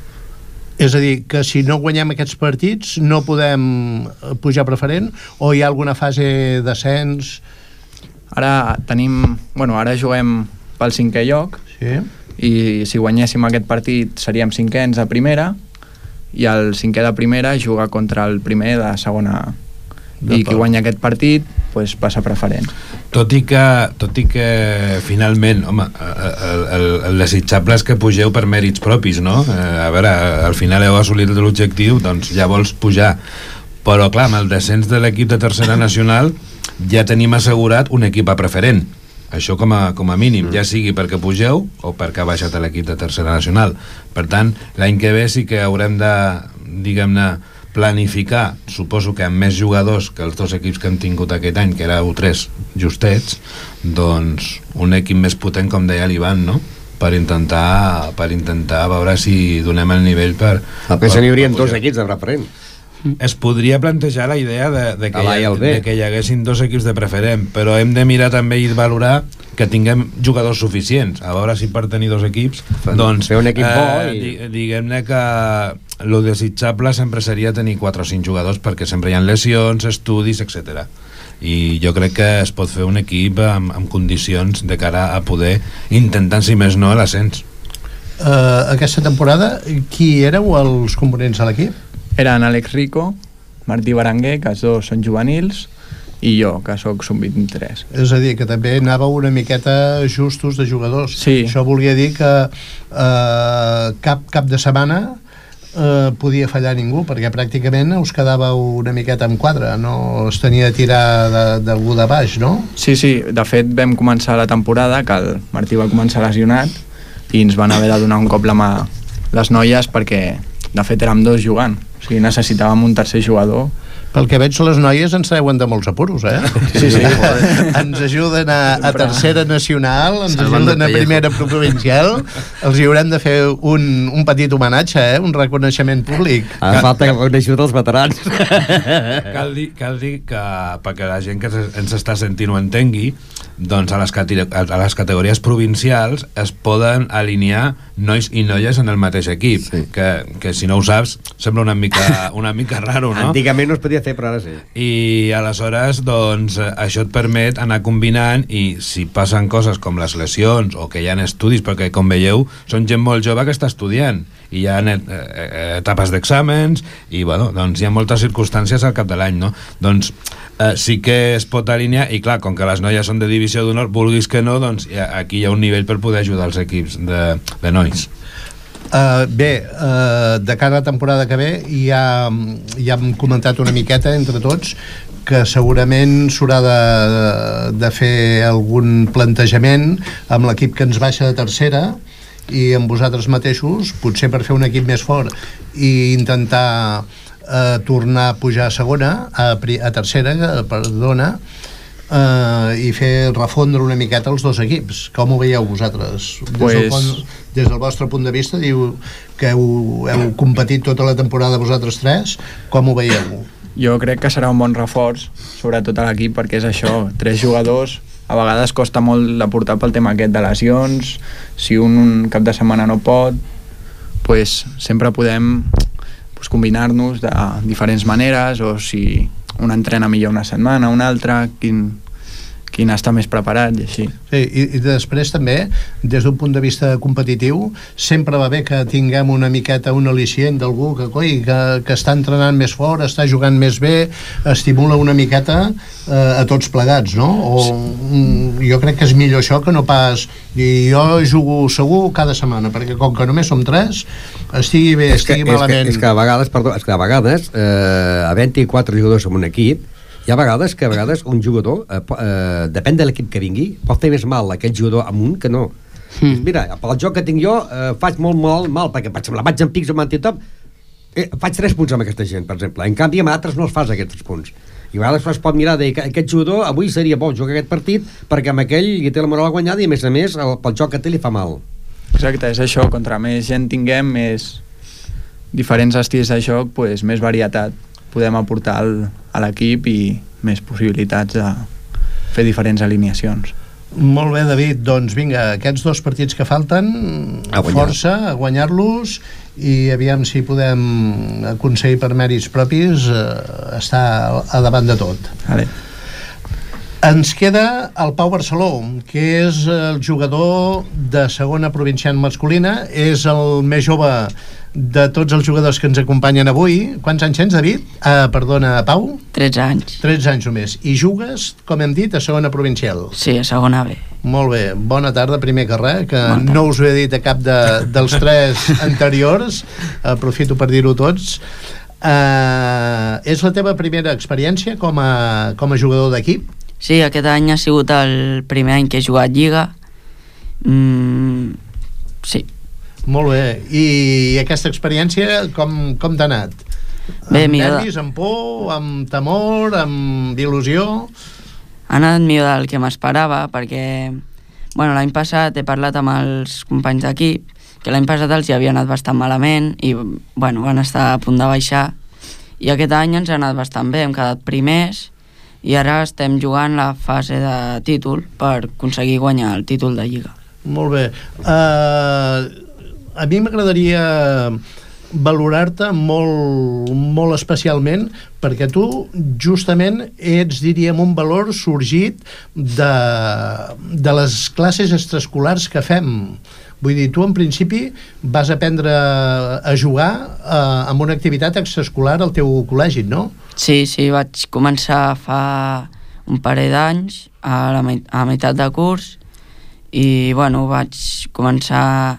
És a dir, que si no guanyem aquests partits no podem pujar preferent, o hi ha alguna fase d'ascens? Ara tenim... Bueno, ara juguem pel cinquè lloc, sí. I si guanyéssim aquest partit seríem cinquens a primera, i el cinquè de primera juga contra el primer de segona A. I qui guanya aquest partit pues, passa preferent. Tot i que, tot i que finalment, home, el, el, el desitjable és que pugeu per mèrits propis, no? A veure, al final heu assolit l'objectiu, doncs ja vols pujar. Però clar, amb el descens de l'equip de tercera nacional ja tenim assegurat un equip a preferent. Això com a, com a mínim, ja sigui perquè pugeu o perquè ha baixat l'equip de tercera nacional. Per tant, l'any que ve sí que haurem de, diguem-ne, planificar, suposo que amb més jugadors que els dos equips que hem tingut aquest any, que era U tres justets, doncs un equip més potent, com deia l'Ivan, no? Per intentar, per intentar veure si donem el nivell per... A més, n'hi haurien dos equips de preferent. es podria plantejar la idea de, de, que, A l'A i el B. de que hi haguessin dos equips de preferent, però hem de mirar també i valorar que tinguem jugadors suficients. A veure si per tenir dos equips, doncs, fer un equip bo eh, i... di- diguem-ne que lo desitjable sempre seria tenir quatre o cinc jugadors, perquè sempre hi ha lesions, estudis, etcètera. I jo crec que es pot fer un equip amb, amb condicions de cara a poder intentar, si més no, l'ascens. Uh, aquesta temporada, qui éreu els components de l'equip? Eren Àlex Rico, Martí Berenguer, que els dos són juvenils, i jo, que sóc sub vint-i-tres. És a dir, que també anàveu una miqueta justos de jugadors. Sí. Això volia dir que eh, cap cap de setmana eh, podia fallar ningú, perquè pràcticament us quedàveu una miqueta en quadre, no es tenia de tirar d'algú de, de baix, no? Sí, sí, de fet vam començar la temporada, que el Martí va començar lesionat, i ens van haver de donar un cop la mà les noies, perquè de fet érem dos jugant, o sigui, necessitàvem un tercer jugador. Pel que veig, les noies ens treuen de molts apuros, eh? Sí, sí. Ens ajuden a, a tercera nacional, ens Salvando ajuden a el pellejo. primera provincial, els hi haurem de fer un, un petit homenatge, eh? Un reconeixement públic. A falta que ajuda els veterans. Cal dir, cal dir que perquè la gent que ens està sentint ho entengui, doncs a les, a les categories provincials es poden alinear nois i noies en el mateix equip, Sí. que, que si no ho saps sembla una mica, una mica raro, no? Antigament no es podia fer, però ara sí. I aleshores doncs això et permet anar combinant, i si passen coses com les lesions o que hi ha estudis, perquè com veieu són gent molt jove que està estudiant i hi ha eh, etapes d'exàmens i bueno, doncs hi ha moltes circumstàncies al cap de l'any, no? Doncs eh, sí que es pot alinear, i clar, com que les noies són de divisió d'honor, vulguis que no, doncs hi ha, aquí hi ha un nivell per poder ajudar els equips de, de nois. Uh, bé, uh, de cara a la temporada que ve ja, ja hem comentat una miqueta entre tots que segurament s'haurà de, de fer algun plantejament amb l'equip que ens baixa de tercera i amb vosaltres mateixos, potser per fer un equip més fort i intentar eh, tornar a pujar a segona, a, a tercera, perdona, eh, i fer refondre una miqueta els dos equips. Com ho veieu vosaltres? Des, Pues... del, pont, des del vostre punt de vista, diu que heu, heu competit tota la temporada vosaltres tres, com ho veieu? Jo crec que serà un bon reforç, sobretot a l'equip, perquè és això, tres jugadors, a vegades costa molt de portar pel tema aquest de lesions, si un, un cap de setmana no pot, pues, sempre podem pues, combinar-nos de diferents maneres, o si un entrena millor una setmana, una altra, quin, quin està més preparat i així. Sí, i, i després també, des d'un punt de vista competitiu, sempre va bé que tinguem una miqueta un al·licient d'algú que, coi, que, que està entrenant més fort, està jugant més bé, estimula una miqueta eh, a tots plegats, no? O, mm, jo crec que és millor això que no pas dir jo jugo segur cada setmana, perquè com que només som tres, estigui bé, És que, estigui és, que, malament. és que a vegades, perdó, és que a vegades eh, a vint-i-quatre jugadors en un equip, hi ha vegades que a vegades un jugador eh, eh, depèn de l'equip que vingui, pot fer més mal aquell jugador amunt que no. Mm. Mira, pel joc que tinc jo eh, faig molt, molt mal, perquè per exemple vaig en pics amb antitop, eh, faig tres punts amb aquesta gent, per exemple. En canvi amb altres no els fas aquests tres punts. I a vegades es pot mirar de que aquest jugador avui seria bo jugar aquest partit perquè amb aquell li té la moral guanyada i a més a més el, pel joc que té li fa mal. Exacte, és això, contra més gent tinguem, més diferents estils de joc, pues, més varietat podem aportar al, a l'equip i més possibilitats de fer diferents alineacions. Molt bé, David, doncs vinga, aquests dos partits que falten, A guanyar. força, a guanyar-los, i aviam si podem aconseguir per mèrits propis eh, estar a davant de tot. Vale. Ens queda el Pau Barceló, que és el jugador de segona provincial masculina, és el més jove de tots els jugadors que ens acompanyen avui. Quants anys tens, David? Ah, perdona, Pau? tretze anys. tretze anys només. I jugues, com hem dit, a segona provincial. Sí, a segona B. Molt bé, bona tarda, primer que res, que Bona tarda. no us ho he dit a cap de, dels tres anteriors, aprofito per dir-ho tots. Uh, és la teva primera experiència com a, com a jugador d'equip? Sí, aquest any ha sigut el primer any que he jugat Lliga. Mm, sí. Molt bé, i aquesta experiència com, com t'ha anat? Bé, amb millor. nervis, amb por, amb temor, amb il·lusió? Ha anat millor del que m'esperava perquè bueno, l'any passat he parlat amb els companys d'equip que l'any passat els hi havia anat bastant malament i bueno, van estar a punt de baixar i aquest any ens ha anat bastant bé, hem quedat primers i ara estem jugant la fase de títol per aconseguir guanyar el títol de Lliga. Molt bé. Uh, a mi m'agradaria valorar-te molt, molt especialment, perquè tu justament ets, diríem, un valor sorgit de, de les classes extraescolars que fem. Vull dir, tu en principi vas aprendre a jugar eh, amb una activitat extraescolar al teu col·legi, no? Sí, sí, vaig començar fa un parell d'anys a la meit- a meitat de curs i, bueno, vaig començar,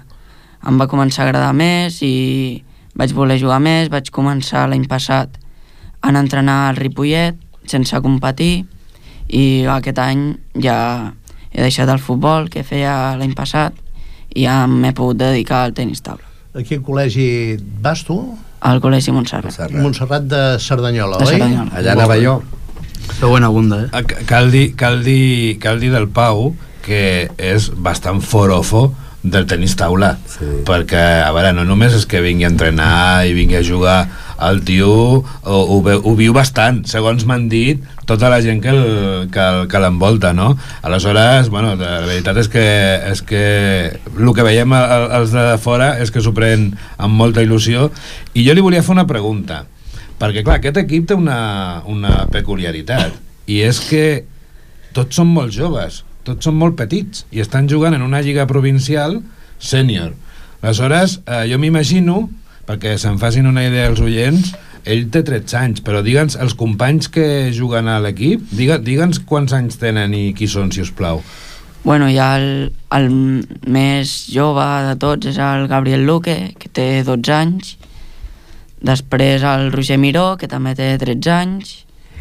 em va començar a agradar més i vaig voler jugar més, vaig començar l'any passat a entrenar al Ripollet sense competir i aquest any ja he deixat el futbol que feia l'any passat i ja m'he pogut dedicar al tenis taula. A quin col·legi vas tu? Al Col·legi Montserrat. Montserrat, Montserrat de Cerdanyola, De oi? Cerdanyola. Allà anava jo. Feu bona bunda, eh? Ah, Cal dir, cal, dir, cal dir del Pau que és bastant forofo del tenis taula, sí. Perquè, a veure, no només és que vingui a entrenar i vingui a jugar, el tio ho, ho, ho viu bastant, segons m'han dit tota la gent que, el, que, el, que l'envolta, no? Aleshores, bueno, la veritat és que, és que el que veiem els de fora és que s'ho pren amb molta il·lusió, i jo li volia fer una pregunta, perquè clar, aquest equip té una, una peculiaritat, i és que tots són molt joves, tots són molt petits i estan jugant en una lliga provincial sènior. Aleshores, eh, jo m'imagino, perquè se'n facin una idea els oients, ell té tretze anys, però digue'ns, els companys que juguen a l'equip, digue, digue'ns quants anys tenen i qui són, si us plau. Bueno, hi ha el, el més jove de tots és el Gabriel Luque, que té dotze anys, després el Roger Miró, que també té tretze anys.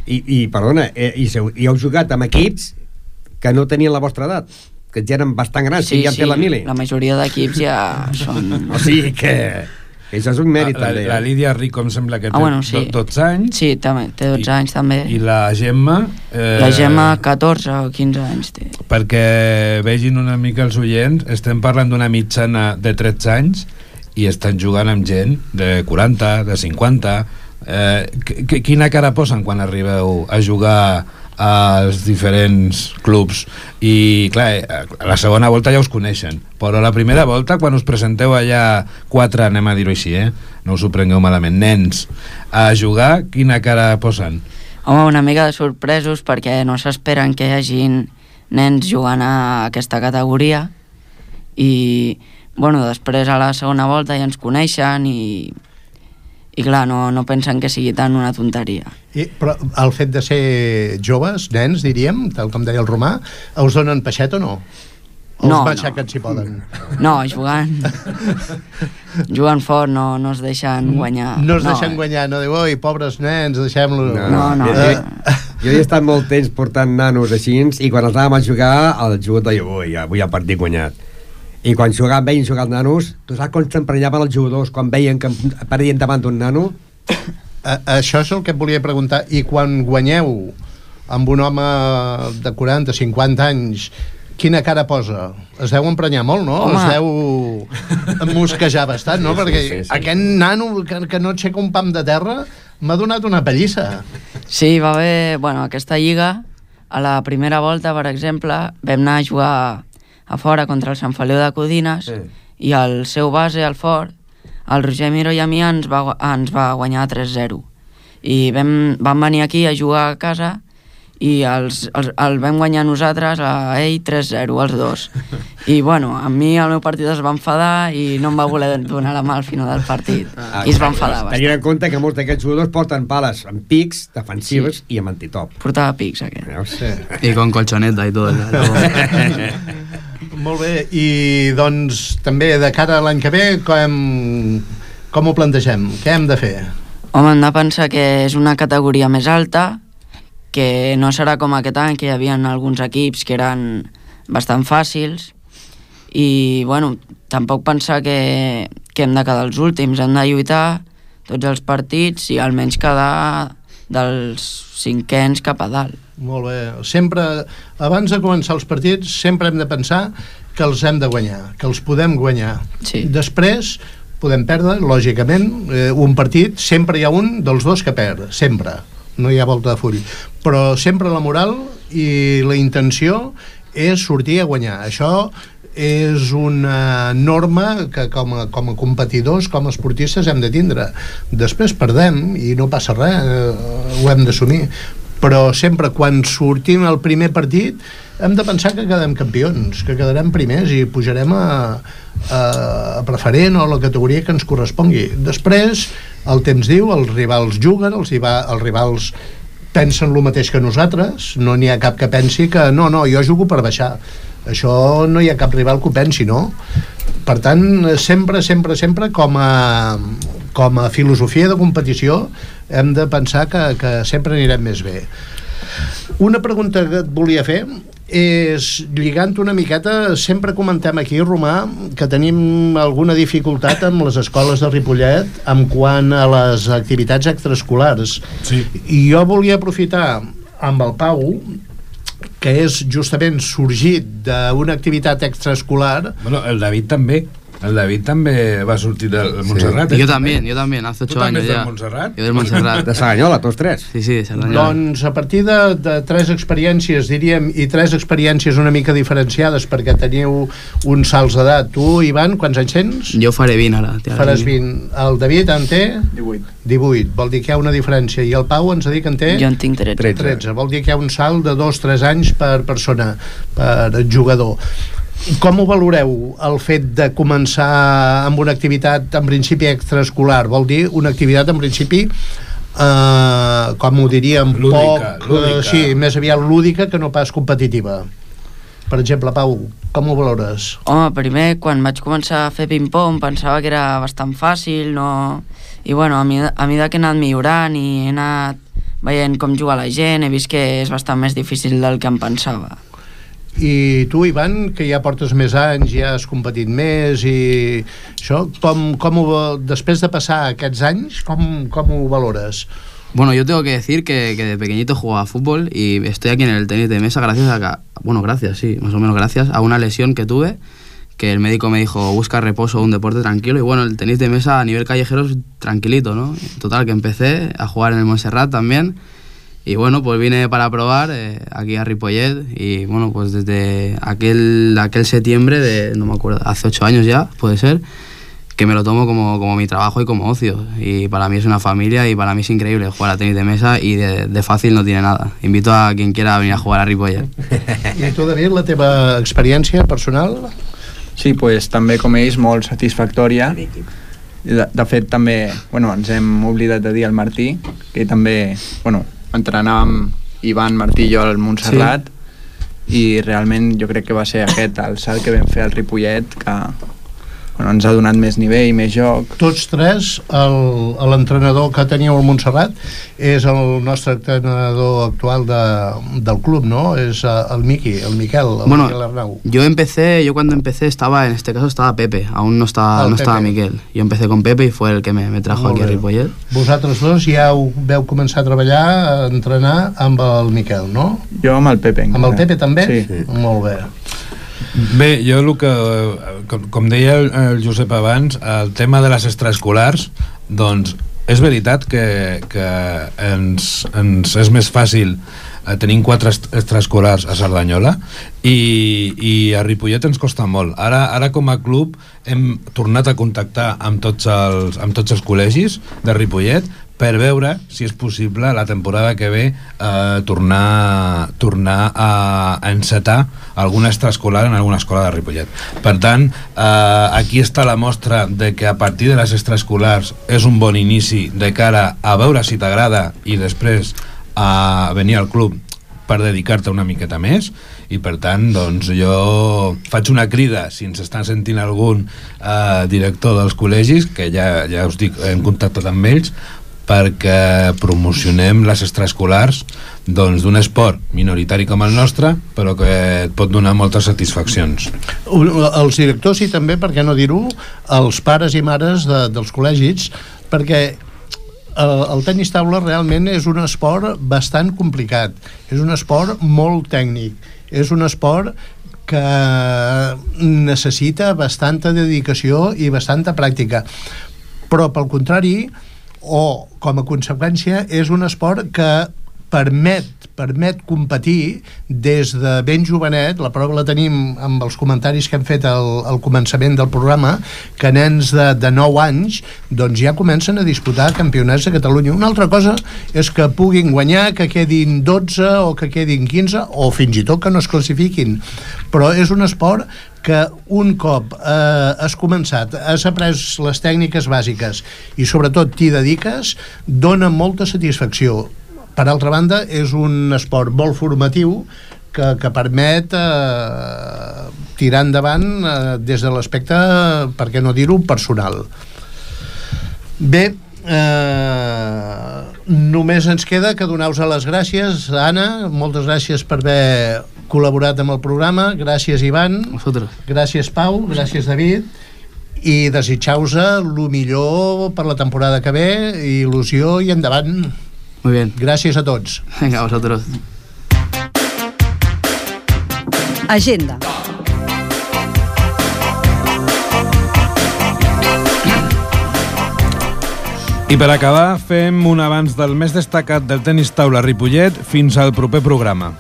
I, i perdona, eh, i, seu, i heu jugat amb equips que no tenien la vostra edat, que ja eren bastant grans, Sí, ja sí, té la mili. la majoria d'equips ja són... O sigui que, que això és un mèrit, la, també. la Lídia Rico em sembla que té Ah, bueno, sí. dotze anys. Sí, també, té dotze anys també. I la Gemma... Eh, La Gemma catorze o quinze anys té. Perquè vegin una mica els oients, estem parlant d'una mitjana de tretze anys i estan jugant amb gent de quaranta, de cinquanta. Eh, quina cara posen quan arribeu a jugar als diferents clubs? I clar, a la segona volta ja us coneixen, però a la primera volta, quan us presenteu allà quatre, anem a dir-ho així, eh? No us ho prengueu malament, nens a jugar, quina cara posen? Home, una mica de sorpresos perquè no s'esperen que hi hagin nens jugant a aquesta categoria i, bueno, després a la segona volta ja ens coneixen i i clar, no, no pensen que sigui tant una tonteria. I, però el fet de ser joves, nens, diríem, tal com deia el Romà, us donen peixet o no? O No, us matxaquen no. si poden? No, jugant jugant fort no, no es deixen guanyar. No es no, deixen guanyar, no diu, oi, pobres nens, deixem-lo... No, no. Eh, Jo he estat molt temps portant nanos així i quan els anàvem a jugar, el jugador deia, ui, avui el partit guanyat. I quan jugaven, veien jugar els nanos, tu saps com s'emprenyaven els jugadors quan veien que apareixien davant d'un nano? a, això és el que et volia preguntar. I quan guanyeu amb un home de quaranta, cinquanta anys, quina cara posa? Es deu emprenyar molt, no? Home. Es deu mosquejar bastant, no? Sí, sí, Perquè sí, sí. aquest nano que, que no aixeca un pam de terra m'ha donat una pallissa. Sí, va haver... Bueno, aquesta lliga, a la primera volta, per exemple, vam anar a jugar a fora contra el Sant Feliu de Codines Sí. i el seu base, el fort, el Roger Miró i a mi ens va, gu- ens va guanyar tres zero. I vam, vam venir aquí a jugar a casa i els, els, el vam guanyar nosaltres a ell tres zero, els dos. I bueno, a mi el meu partit es va enfadar i no em va voler donar la mà al final del partit. I es va enfadar bastant. Tenint en compte que molts d'aquests jugadors porten pales amb pics defensives sí. i amb antitop. Portava pics, aquest. Veus? Sí. Y con colchoneta y todo. Molt bé, i doncs també de cara a l'any que ve com, com ho plantegem? Què hem de fer? Home, hem de pensar que és una categoria més alta, que no serà com aquest any, que hi havia alguns equips que eren bastant fàcils, i, bueno, tampoc pensar que, que hem de quedar els últims, hem de lluitar tots els partits i almenys quedar dels cinquens cap a dalt. Molt bé. Sempre, abans de començar els partits, sempre hem de pensar que els hem de guanyar, que els podem guanyar. Sí. Després podem perdre, lògicament, eh, un partit, sempre hi ha un dels dos que perd, sempre, no hi ha volta de full, però sempre la moral i la intenció és sortir a guanyar. Això és una norma que com a, com a competidors, com a esportistes hem de tindre. Després perdem i no passa res, eh, ho hem d'assumir, però sempre quan sortim al primer partit hem de pensar que quedem campions, que quedarem primers i pujarem a, a, a preferent o a la categoria que ens correspongui. Després el temps diu, els rivals juguen, els, els rivals pensen el mateix que nosaltres, no n'hi ha cap que pensi que no, no, jo jugo per baixar. Això no hi ha cap rival que ho pensi, no? Per tant, sempre, sempre, sempre com a, com a filosofia de competició hem de pensar que, que sempre anirem més bé. Una pregunta que et volia fer és, lligant una miqueta, sempre comentem aquí, Romà, que tenim alguna dificultat amb les escoles de Ripollet en quant a les activitats extraescolars. Sí. I jo volia aprofitar amb el Pau, que és justament sorgit d'una activitat extraescolar. Bueno, el David també. El David també va sortir del Montserrat. Sí. Yo también, yo también, hace ocho años ya. ¿Tú también del Montserrat? Yo del Montserrat. De Saganyola, tots tres. Sí, sí, de Saganyola. Doncs a partir de, de tres experiències, diríem, i tres experiències una mica diferenciades, perquè teniu uns salts d'edat. Tu, Ivan, quants anys tens? Jo faré vint ara. Faràs vint. El David en té? divuit. divuit. Vol dir que hi ha una diferència. I el Pau ens ha dit que en té? Jo en tinc tretze. tretze. Vol dir que hi ha un salt de dos tres anys per persona, per jugador. Com ho valoreu, el fet de començar amb una activitat en principi extraescolar? Vol dir una activitat en principi eh, com ho diríem, lúdica, poc, lúdica. Eh, sí, més aviat lúdica que no pas competitiva. Per exemple, Pau, com ho valores? Home, primer, quan vaig començar a fer ping-pong pensava que era bastant fàcil, no... I bueno, a, mi, a mesura que he anat millorant i he anat veient com juga la gent, he vist que és bastant més difícil del que em pensava. I tu, Ivan, que ja portes més anys, ja has competit més i això, com, com ho, després de passar aquests anys, com, com ho valores? Bueno, yo tengo que decir que, que de pequeñito jugaba fútbol y estoy aquí en el tenis de mesa gracias a, que, bueno, gracias, sí, más o menos gracias a una lesión que tuve, que el médico me dijo, busca reposo, un deporte tranquilo, y bueno, el tenis de mesa a nivel callejero es tranquilito, ¿no? Total, que empecé a jugar en el Montserrat también. Y bueno, pues vine para probar eh, aquí a Ripollet y bueno, pues desde aquel, aquel septiembre de, no me acuerdo, hace ocho años ya, puede ser, que me lo tomo como, como mi trabajo y como ocio. Y para mí es una familia y para mí es increíble jugar a tenis de mesa y de, de fácil no tiene nada. Invito a quien quiera venir a jugar a Ripollet. I tu, David, la teva experiència personal? Sí, pues, també com ells, molt satisfactòria. De, de fet, també, bueno, ens hem oblidat de dir al Martí, que també, bueno, entrenàvem Ivan, Martí i jo al Montserrat, sí. I realment jo crec que va ser aquest el salt que vam fer al Ripollet, que bueno, ens ha donat més nivell, més joc. Tots tres, l'entrenador que teníeu al Montserrat és el nostre entrenador actual de, del club, ¿no? Es el Miqui, el Miquel, el bueno, Miquel Arnau. Yo empecé, yo cuando empecé estaba, en este caso estaba Pepe, aún no estaba, el no Pepe. estaba Miquel. Yo empecé con Pepe y fue el que me, me trajo Molt aquí bé. a Ripollet. Vosaltres dos ja ho veu començar a treballar, a entrenar amb el Miquel, no? Jo amb el Pepe. Amb el Pepe també? Sí. Sí. Molt bé. Bé, jo el que, com, com deia el, el Josep abans, el tema de les extraescolars, doncs és veritat que, que ens, ens és més fàcil eh, tenir quatre extraescolars a Cerdanyola i, i a Ripollet ens costa molt. Ara, ara com a club hem tornat a contactar amb tots els, amb tots els col·legis de Ripollet per veure si és possible la temporada que ve eh, tornar, tornar a, a encetar alguna extraescolar en alguna escola de Ripollet. Per tant, eh, aquí està la mostra de que a partir de les extraescolars és un bon inici de cara a veure si t'agrada i després a venir al club per dedicar-te una miqueta més, i per tant doncs jo faig una crida si ens està sentint algun eh, director dels col·legis, que ja, ja us dic, hem contactat amb ells, perquè promocionem les extraescolars doncs, d'un esport minoritari com el nostre, però que et pot donar moltes satisfaccions. Els directors i també, per què no dir-ho, els pares i mares de, dels col·legis, perquè el, el tenis taula realment és un esport bastant complicat, és un esport molt tècnic, és un esport que necessita bastanta dedicació i bastanta pràctica, però pel contrari, o com a conseqüència, és un esport que permet, permet competir des de ben jovenet. La prova la tenim amb els comentaris que hem fet al, al començament del programa, que nens de, de nou anys doncs ja comencen a disputar campionats de Catalunya. Una altra cosa és que puguin guanyar, que quedin dotze o que quedin quinze, o fins i tot que no es classifiquin, però és un esport que un cop eh, has començat, has après les tècniques bàsiques i sobretot t'hi dediques, dona molta satisfacció. Per altra banda, és un esport molt formatiu que, que permet eh, tirar endavant eh, des de l'aspecte, per què no dir-ho, personal. Bé, eh, només ens queda que donar-vos les gràcies. Anna, moltes gràcies per haver col·laborat amb el programa. Gràcies, Ivan. Vosaltres. Gràcies, Pau. Gràcies, David. I desitjau-vos el millor per la temporada que ve, il·lusió i endavant. Muy bien. Gràcies a tots. Venga, a vosotros. Agenda. I per acabar, fem un avanç del més destacat del tenis taula Ripollet fins al proper programa.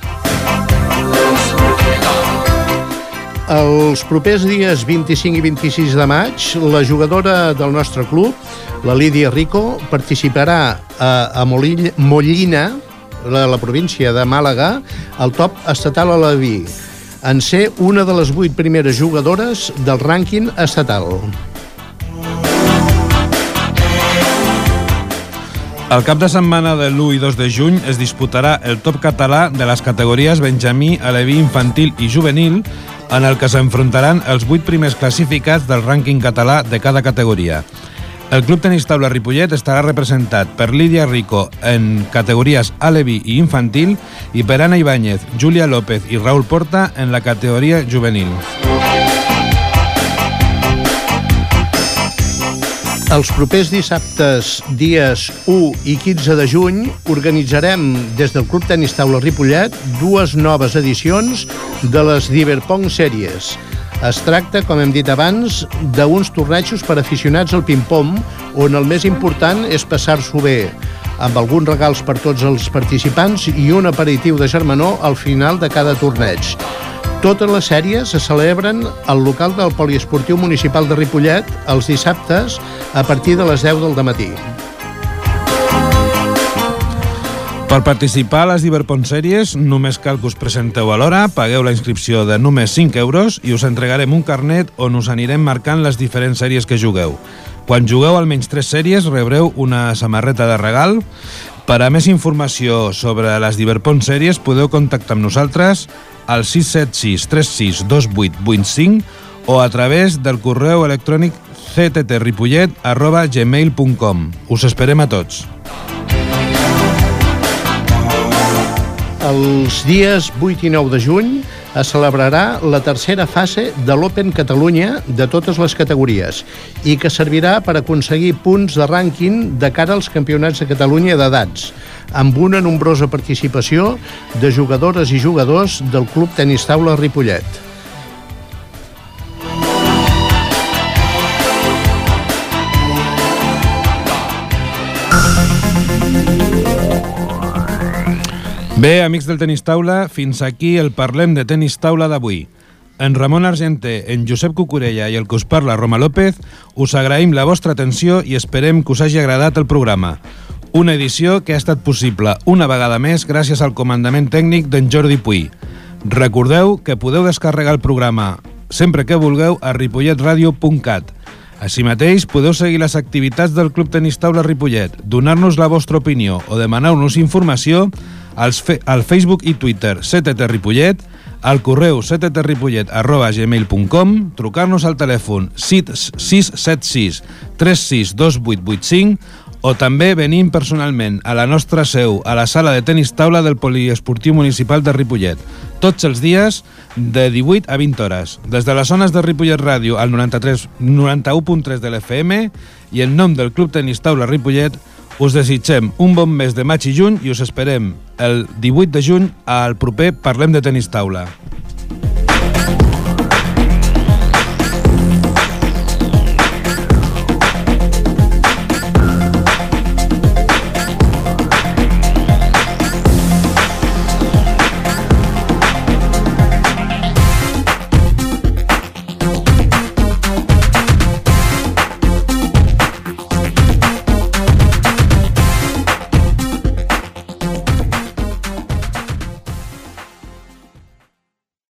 Els propers dies vint-i-cinc i vint-i-sis de maig, la jugadora del nostre club, la Lídia Rico, participarà a, a Molilla, Mollina, la, la província de Màlaga, al top estatal a l'Aleví, en ser una de les vuit primeres jugadores del rànquing estatal. El cap de setmana de l'u i dos de juny es disputarà el top català de les categories Benjamí, Aleví, Infantil i Juvenil, en el que s'enfrontaran els vuit primers classificats del rànquing català de cada categoria. El Club Tenis Taula Ripollet estarà representat per Lídia Rico en categories Aleví i Infantil i per Anna Ibáñez, Júlia López i Raúl Porta en la categoria Juvenil. Els propers dissabtes, dies u i quinze de juny, organitzarem des del Club Tenis Taula Ripollet dues noves edicions de les Diverpong Sèries. Es tracta, com hem dit abans, d'uns tornejos per aficionats al ping-pong, on el més important és passar-s'ho bé, amb alguns regals per tots els participants i un aperitiu de germanor al final de cada torneig. Totes les sèries se celebren al local del Poliesportiu Municipal de Ripollet els dissabtes a partir de les deu del matí. Per participar a les Diverpong Sèries només cal que us presenteu a l'hora, pagueu la inscripció de només cinc euros i us entregarem un carnet on us anirem marcant les diferents sèries que jugueu. Quan jugueu almenys tres sèries rebreu una samarreta de regal. Per a més informació sobre les Diverpong Sèries podeu contactar amb nosaltres al sis set sis tres sis dos vuit vuit cinc o a través del correu electrònic c t t ripollet arroba gmail punt com. Us esperem a tots. Els dies vuit i nou de juny es celebrarà la tercera fase de l'Open Catalunya de totes les categories i que servirà per aconseguir punts de rànquing de cara als campionats de Catalunya d'edats, amb una nombrosa participació de jugadores i jugadors del Club Tenis Taula Ripollet. Bé, amics del Tenis Taula, fins aquí el Parlem de Tenis Taula d'avui. En Ramon Argenter, en Josep Cucurella i el que us parla, Roma López, us agraïm la vostra atenció i esperem que us hagi agradat el programa. Una edició que ha estat possible una vegada més gràcies al comandament tècnic d'en Jordi Puy. Recordeu que podeu descarregar el programa sempre que vulgueu a ripollet radio punt cat. Així mateix, podeu seguir les activitats del Club Tenis Taula Ripollet, donar-nos la vostra opinió o demanar-nos informació als fe al Facebook i Twitter C T T Ripollet, al correu c t t ripollet arroba gmail punt com, trucar-nos al telèfon sis set sis tres sis dos vuit vuit cinc o també venint personalment a la nostra seu a la sala de tenis taula del Poliesportiu Municipal de Ripollet, tots els dies de divuit a vint hores, des de les zones de Ripollet Ràdio al noranta-u punt tres de l'F M i en nom del Club Tenis Taula Ripollet us desitgem un bon mes de maig i juny i us esperem el divuit de juny al proper Parlem de Tenis Taula.